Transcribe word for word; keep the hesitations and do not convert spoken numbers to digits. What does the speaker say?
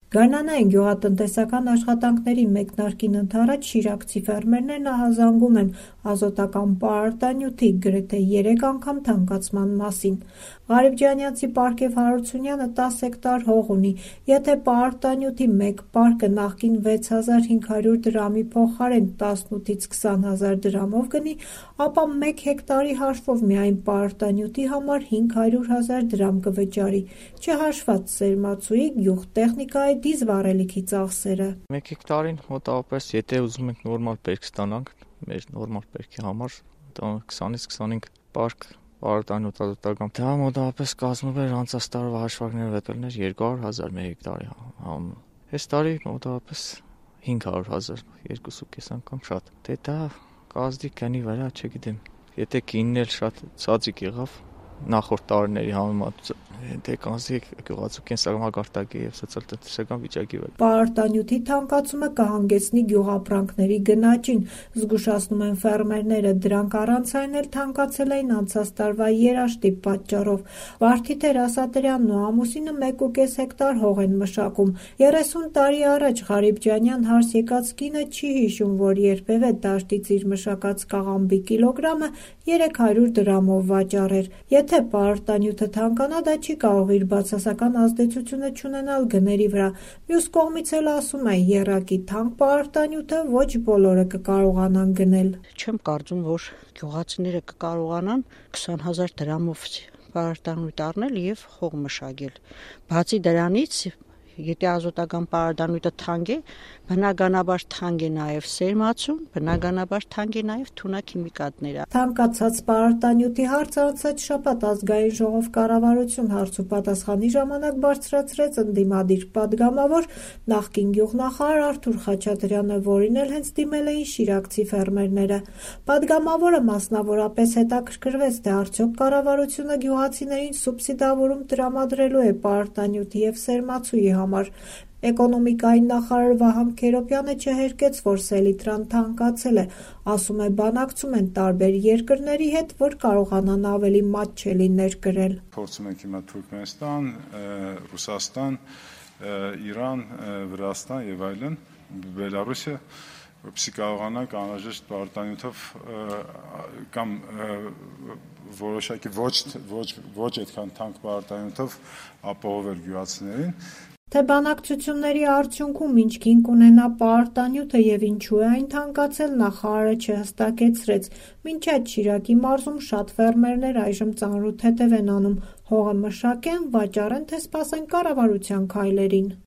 Գարնանային գյուղատնտեսական աշխատանքների մեկնարկին ընդառաջ շիրակցի ֆերմերներն ահազանգում են ազոտական պարարտանյութի գրեթե երեք անգամ թանկացման մասին։ Ղարիբջանյանցի Պարգև Հարությունյանը տասը հեկտար հող ունի, եթե պարարտանյութի մեկ պարկը նախկին վեց հազար հինգ հարյուր դրամի փոխարեն տասնութից քսան հազար դրամով գնի, ապա մեկ հեկտարի հաշվով միայն պարարտանյութի համար հինգ հարյուր հազար դրամ կվճարի, չհաշված սերմացուի, գյուղտեխնիկայի, դիզվառելիքի ծախսերը։ Մեկ հեկտարին մոտավորապես, եթե ուզում ենք նորմալ բերք ստանանք, մեր նորմալ բերքի համար քսանից քսանհինգ պարկ պարարտանյութ ազոտական, դա մոտավորապես կազմում էր անցած տարվա հաշվարկներով վետելներ երկու հարյուր հազար մեկ հեկտարի համը։ Այս տարի մոտավորապես հինգ հարյուր հազար, երկու ու կես անգամ շատ։ Դե դա կազդի գնի վրա, չգիտեմ։ Եթե կինն էլ շատ ցածիկ եղավ նախորդ տարիների համեմատությամբ, դե կանցի գյուղացու կենսամակարդակի եւ սոցիալ-տնտեսական վիճակի վրա։ Պարարտանյութի թանկացումը կհանգեցնի գյուղապրանքների գնաճին, զգուշացնում են ֆերմերները, դրանք առանց այն էլ թանկացել էին անցած տարվա երաշտի պատճառով։ Վարդիթեր Ասատրյանն ու ամուսինը մեկ ու կես հեկտար հող են մշակում։ երեսուն տարի առաջ Ղարիբջանյան հարս եկած կինը չի հիշում, որ երբևէ դաշտից իր մշակած կաղամբի կիլոգրամը երեք հարյուր դրամով վաճառեր։ Եթե պարարտանյութը թանկանա, դա չի կարող իր բացասական ազդեցությունը չունենալ գների վրա։ Մյուս կողմից էլ ասում է, եռակի թանկ պարարտանյութը ոչ բոլորը կկարողանան գնել։ Չեմ կարծում, որ գյուղացիները կկարողանան քսան հազար դրամով պարարտանյութ առնել եւ հող մշակել։ Բացի դրանից, եթե ազոտական պարարտանյութը թանկ է, բնականաբար թանկ է նաև սերմացուն, բնականաբար թանկ է նաև թունաքիմիկատները։ Թանկացած պարարտանյութի հարցը անցած շաբաթ ազգային ժողով կառավարություն հարց ու պատասխանի ժամանակ բարձրացրեց ընդդիմադիր պատգամավոր նախկին գյուղնախարար Արթուր Խաչատրյանը, որին էլ հենց դիմել էին շիրակցի ֆերմերները։ Պատգամավորը մասնավորապես հետաքրքրվեց, թե արդյոք կառավարությունը գյուղացիներին սուբսիդավորում տրամադրելու է պարարտանյութի եւ սերմացուի համար։ Էկոնոմիկայի նախարար Վահան Քերոբյանը չհերկեց, որ սելիտրան թանկացել է, ասում է, բանակցում են տարբեր երկրների հետ, որ կարողանան ավելի մատչելի ներկրել։ Փորձում ենք հիմա Թուրքմենստան, Ռուսաստան, Իրան, Վրաստան եւ այլն, Բելարուսիա, որպեսզի կարողանանք անհրաժեշտ պարարտանյութով կամ որոշակի ոչ ոչ ոչ այդքան թանկ պարարտանյութով ապահովել գյուղացիներին։ Թե բանակցությունների արդյունքում ինչ քինք ունենա պարարտանյութը եւ ինչու է այն թանկացել, նախարարը չհստակեցրեց։ Մինչ այդ Շիրակի մարզում շատ ֆերմերներ այժմ ծանրութ հետև են անում, հողը մշակեն, վաճառեն, թե սպասեն կառավարության քայլերին։